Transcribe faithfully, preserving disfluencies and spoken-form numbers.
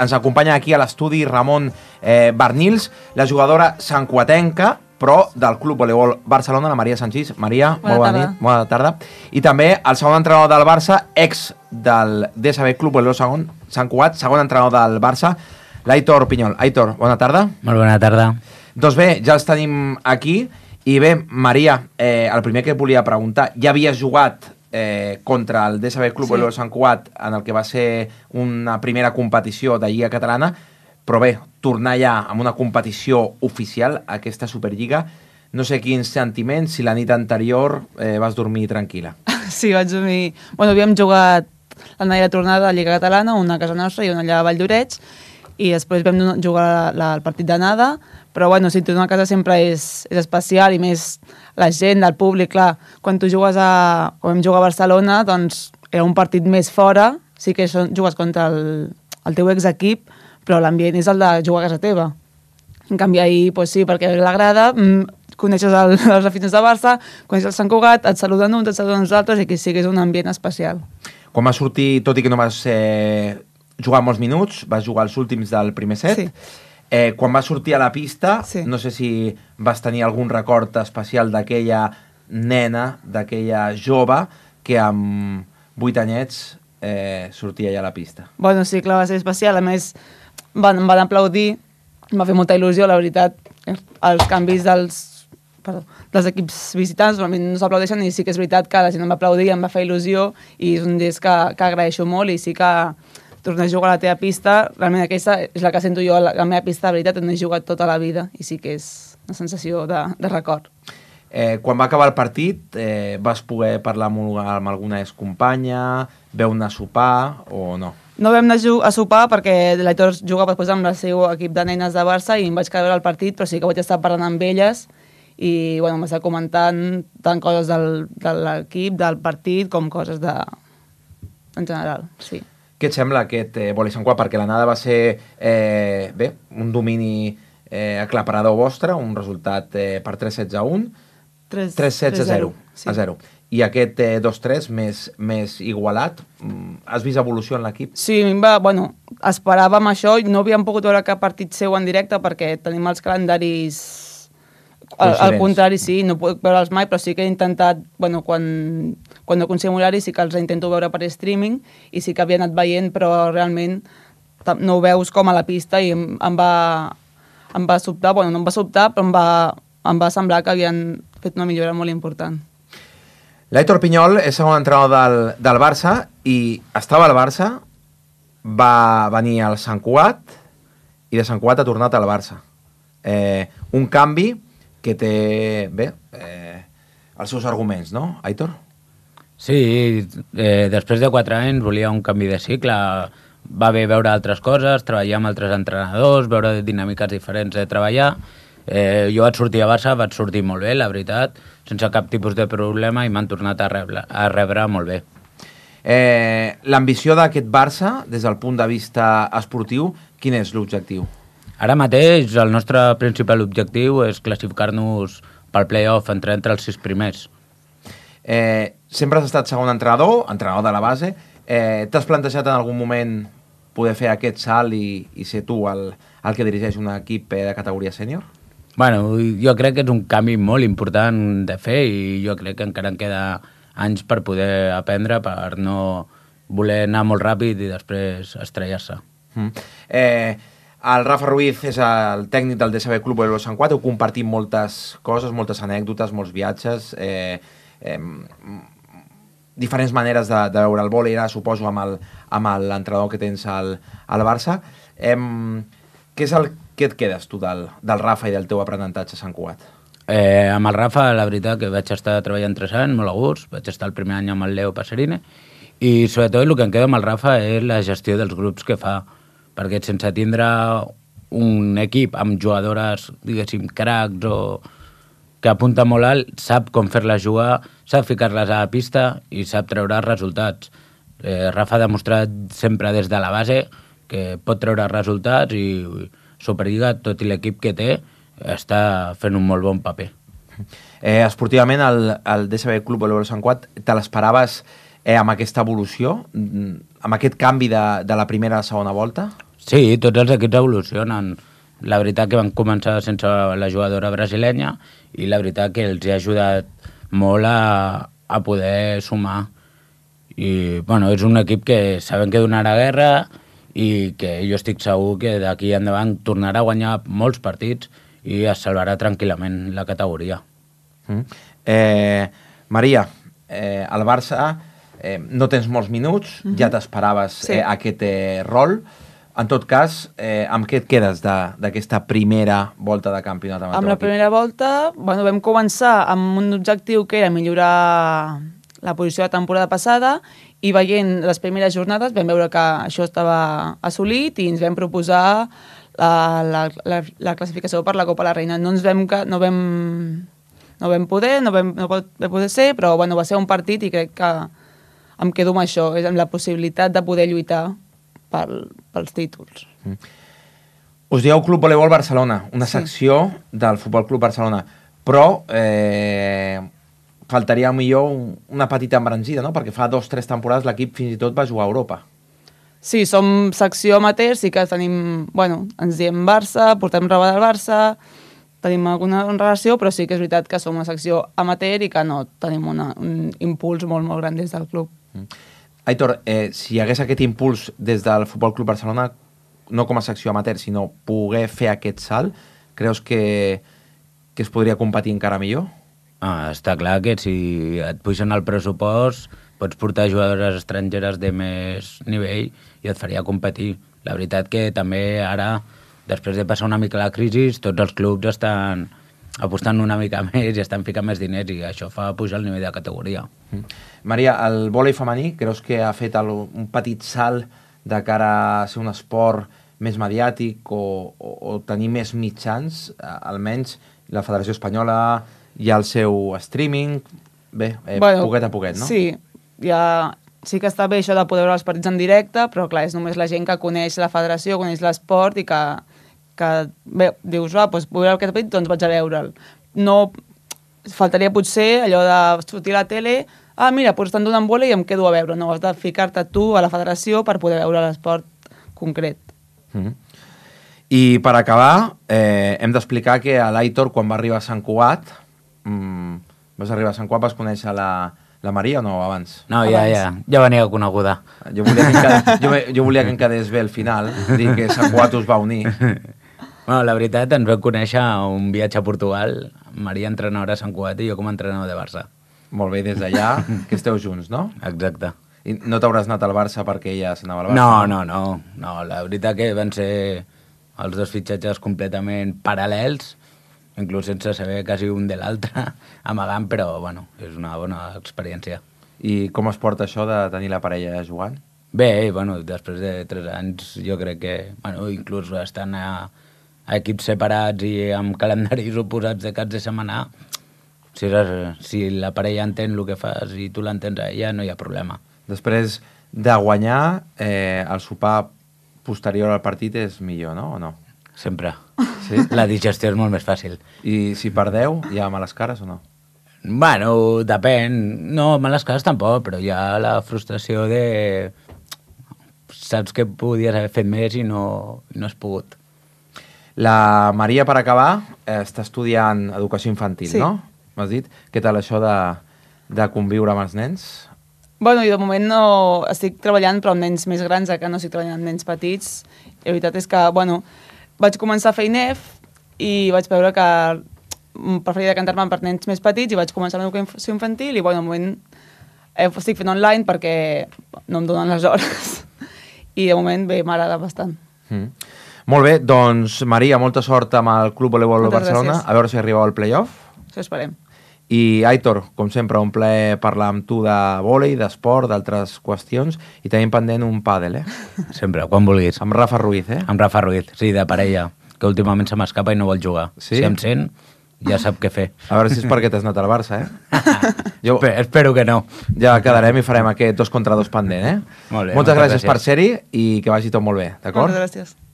ens acompanya aquí a l'estudi Ramon eh, Barnils, la jugadora santcuatenca, però del Club Voleibol Barcelona, la Maria Sanchís. Maria, bona molt bona tarda. nit, bona tarda. I també el segon entrenador del Barça, ex del D S B Club Voleibol segon, Sant Cugat, segon entrenador del Barça, l'Aitor Pinyol. Aitor, bona tarda. Molt bona tarda. Doncs bé, ja els tenim aquí. I bé, Maria, eh, el primer que et volia preguntar, ja havies jugat eh, contra el D S B Club sí. Voleibol Sant Cugat en el que va ser una primera competició de Lliga Catalana, però bé, tornar ja amb una competició oficial, aquesta Superliga, no sé quins sentiments, si la nit anterior eh, vas dormir tranquil·la. Sí, vaig dormir... Bueno, havíem jugat la nit de tornada a Lliga Catalana, una a casa nostra i una allà a Valldoreix, i després vam jugar la, el partit d'anada, però bueno, si tornar a casa sempre és, és especial, i més la gent, el públic, clar, quan tu jugues a... Quan vam jugar a Barcelona, doncs era un partit més fora, sí que jugues contra el, el teu exequip, però l'ambient és el de jugar a casa teva. En canvi, ahir, doncs sí, perquè l'agrada, coneixes el, els aficionats de Barça, coneixes el Sant Cugat, et saluden uns, et saluden uns altres, i aquí sí que és un ambient especial. Quan vas sortir, tot i que no vas eh, jugar molts minuts, vas jugar els últims del primer set, sí. eh, quan vas sortir a la pista, sí. no sé si vas tenir algun record especial d'aquella nena, d'aquella jove, que amb vuit anyets eh, sortia ja a la pista. Bueno, sí, clar, va ser especial. A més, van, van aplaudir, em va fer molta il·lusió, la veritat, els canvis dels, perdó, dels equips visitants, normalment no s'aplaudeixen, i sí que és veritat que la gent em va aplaudir, em va fer il·lusió, i és un gest que, que agraeixo molt, i sí que tornar a jugar a la teva pista, realment aquesta és la que sento jo, la, la meva pista, de veritat, on he jugat tota la vida, i sí que és una sensació de, de record. Eh, quan va acabar el partit, eh, vas poder parlar amb, amb alguna excompanya, veu anar a sopar o no? No vam anar a sopar perquè l'Aitor jugava després amb el seu equip de nenes de Barça i em vaig quedar a veure el partit, però sí que vaig estar parlant amb elles i bueno, m'està comentant tant coses del, de l'equip, del partit, com coses de... en general, sí. Què et sembla aquest eh, vòlei Sant Cugat? Perquè l'anada va ser eh, bé, un domini eh, aclaparador vostre, un resultat eh, per tres sets a un, tres sets a zero. A zero. I aquest eh, dos tres més, més igualat, has vist evolució en l'equip? Sí, a mi va, bueno, esperàvem això, no havíem pogut veure cap partit seu en directe perquè tenim els calendaris al, al contrari, sí, no puc veure'ls mai, però sí que he intentat, bueno, quan, quan no aconseguim horari sí que els intento veure per streaming i sí que havia anat veient, però realment no ho veus com a la pista i em, em, va, em va sobtar, bueno, no em va sobtar, però em va, em va semblar que havien fet una millora molt important. L'Aitor Pinyol és segon entrenador del, del Barça i estava al Barça, va venir al Sant Cugat i de Sant Cugat ha tornat al Barça. Eh, un canvi que té, bé, eh, els seus arguments, no, Aitor? Sí, eh, després de quatre anys volia un canvi de cicle, va bé veure altres coses, treballar amb altres entrenadors, veure dinàmiques diferents de treballar. Eh, jo vaig sortir a Barça, vaig sortir molt bé, la veritat, sense cap tipus de problema i m'han tornat a rebre, a rebre molt bé. Eh, L'ambició d'aquest Barça, des del punt de vista esportiu, quin és l'objectiu? Ara mateix el nostre principal objectiu és classificar-nos pel play-off entre, entre els sis primers. Eh, sempre has estat segon entrenador, entrenador de la base. Eh, T'has plantejat en algun moment poder fer aquest salt i, i ser tu el, el que dirigeix un equip de categoria sènior? Bueno, jo crec que és un canvi molt important de fer i jo crec que encara en queda anys per poder aprendre, per no voler anar molt ràpid i després estrellar-se. Mm. Eh, el Rafa Ruiz és el tècnic del D S B Club Voleibol Sant Cugat, heu compartit moltes coses, moltes anècdotes, molts viatges, eh, eh, diferents maneres de, de veure el vòlei, ara suposo amb l'entrenador que tens al, al Barça. Eh, què és el Què et quedes tu del, del Rafa i del teu aprenentatge a Sant Cugat? Eh, amb el Rafa, la veritat, que vaig estar treballant tres anys, molt a gust, vaig estar el primer any amb el Leo Passerine, i sobretot el que em quedo amb el Rafa és la gestió dels grups que fa, perquè sense tindre un equip amb jugadores, diguéssim, cracs o que apunta molt alt, sap com fer-les jugar, sap ficar-les a la pista i sap treure resultats. Eh, Rafa ha demostrat sempre des de la base que pot treure resultats i Superliga, tot i l'equip que té, està fent un molt bon paper. Eh, esportivament, el, el D S B Club Voleibol Sant Cugat, te l'esperaves eh, amb aquesta evolució, amb aquest canvi de, de la primera a la segona volta? Sí, tots els equips evolucionen. La veritat que van començar sense la jugadora brasilenya i la veritat que els ha ajudat molt a, a poder sumar. I, bueno, és un equip que saben que donarà guerra i que jo estic segur que d'aquí endavant tornarà a guanyar molts partits i es salvarà tranquil·lament la categoria. Mm. Eh, Maria, eh, al Barça eh, no tens molts minuts, mm-hmm. ja t'esperaves sí. eh, aquest eh, rol. En tot cas, eh, amb què et quedes d'aquesta primera volta de campionat? Amb, amb la primera volta, bueno, vam començar amb un objectiu que era millorar la posició de la temporada passada i veient les primeres jornades vam veure que això estava assolit i ens vam proposar la, la, la, la classificació per la Copa la Reina. No ens vam, no vam, no vam poder, no vam, no va poder ser, però bueno, va ser un partit i crec que em quedo amb això, és amb la possibilitat de poder lluitar pel, pels títols. Mm. Us dieu Club Voleibol Barcelona, una sí. secció del Futbol Club Barcelona, però eh, faltaria millor un, una petita embranzida, no? Perquè fa dos o tres temporades l'equip fins i tot va jugar a Europa. Sí, som secció amateur, sí que tenim, bueno, ens diem Barça, portem roba del Barça, tenim alguna relació, però sí que és veritat que som una secció amateur i que no tenim una, un impuls molt, molt gran des del club. Mm. Aitor, eh, si hi hagués aquest impuls des del Futbol Club Barcelona, no com a secció amateur, sinó poder fer aquest salt, creus que, que es podria competir encara millor? Ah, està clar que si et puixen el pressupost pots portar jugadores estrangeres de més nivell i et faria competir. La veritat que també ara, després de passar una mica la crisi, tots els clubs estan apostant una mica més i estan ficant més diners i això fa pujar el nivell de categoria. Mm. Maria, el vòlei femení creus que ha fet el, un petit salt de cara a ser un esport més mediàtic o, o, o tenir més mitjans, almenys la Federació Espanyola hi ha el seu streaming, bé, eh, bueno, poquet a poquet, no? Sí, ja, sí que està bé això de poder veure els partits en directe, però clar, és només la gent que coneix la federació, coneix l'esport i que, que bé, dius, ah, doncs vull veure aquest partit, doncs vaig a veure'l. No, faltaria potser allò de sortir a la tele, ah, mira, doncs estan donant bola i em quedo a veure. No, has de ficar-te tu a la federació per poder veure l'esport concret. Mm-hmm. I per acabar, eh, hem d'explicar que a l'Aitor, quan va arribar a Sant Cugat, mm, vas arribar a Sant Cugat, vas conèixer la, la Maria o no, abans? No, abans. ja, ja, ja venia coneguda. Jo volia que em quedés, jo, jo volia que em quedés bé al final, dir que Sant Cugat us va unir. Bueno, la veritat, ens vam conèixer a un viatge a Portugal, Maria entrenadora a Sant Cugat i jo com a entrenador de Barça. Molt bé, des d'allà, que esteu junts, no? Exacte. I no t'hauràs anat al Barça perquè ella s'anava al Barça? No, no, no, no, la veritat que van ser els dos fitxatges completament paral·lels, inclús sense saber quasi un de l'altre, amagant, però, bueno, és una bona experiència. I com es porta això de tenir la parella jugant? Bé, bueno, després de tres anys jo crec que, bueno, inclús estan a, a equips separats i amb calendaris oposats de caps de setmana, si, si la parella entén el que fas i tu l'entens a ella, no hi ha problema. Després de guanyar, eh, el sopar posterior al partit és millor, no? O no? Sempre. Sí? La digestió és molt més fàcil. I si perdeu, hi ha males cares o no? Bueno, depèn. No, males cares tampoc, però hi ha la frustració de... Saps que podies haver fet més i no, no has pogut. La Maria, per acabar, està estudiant educació infantil, sí. no? M'has dit? Què tal això de, de conviure amb els nens? Bueno, jo de moment no estic treballant però amb nens més grans, que no estic treballant amb nens petits. I la veritat és que, bueno, vaig començar a fer I N E F i vaig veure que preferiria decantar-me per nens més petits i vaig començar amb educació infantil i, bueno, de moment eh, estic fent online perquè no em donen les hores. I de moment, bé, m'agrada bastant. Mm. Molt bé, doncs, Maria, molta sort amb el Club Voleibol Barcelona. Gràcies. A veure si arribeu al play-off. Això esperem. I, Aitor, com sempre, un plaer parlar amb tu de vòlei, d'esport, d'altres qüestions, i tenim pendent un pàdel, eh? Sempre, quan vulguis. Amb Rafa Ruiz, eh? Amb Rafa Ruiz, sí, de parella, que últimament se m'escapa i no vol jugar. Sí? Si em sent, ja sap què fer. A veure si és perquè t'has anat al Barça, eh? Jo... Espero que no. Ja quedarem i farem aquest dos contra dos pendent, eh? Molt bé, moltes gràcies, gràcies per ser-hi i que vagi tot molt bé, d'acord? Moltes gràcies.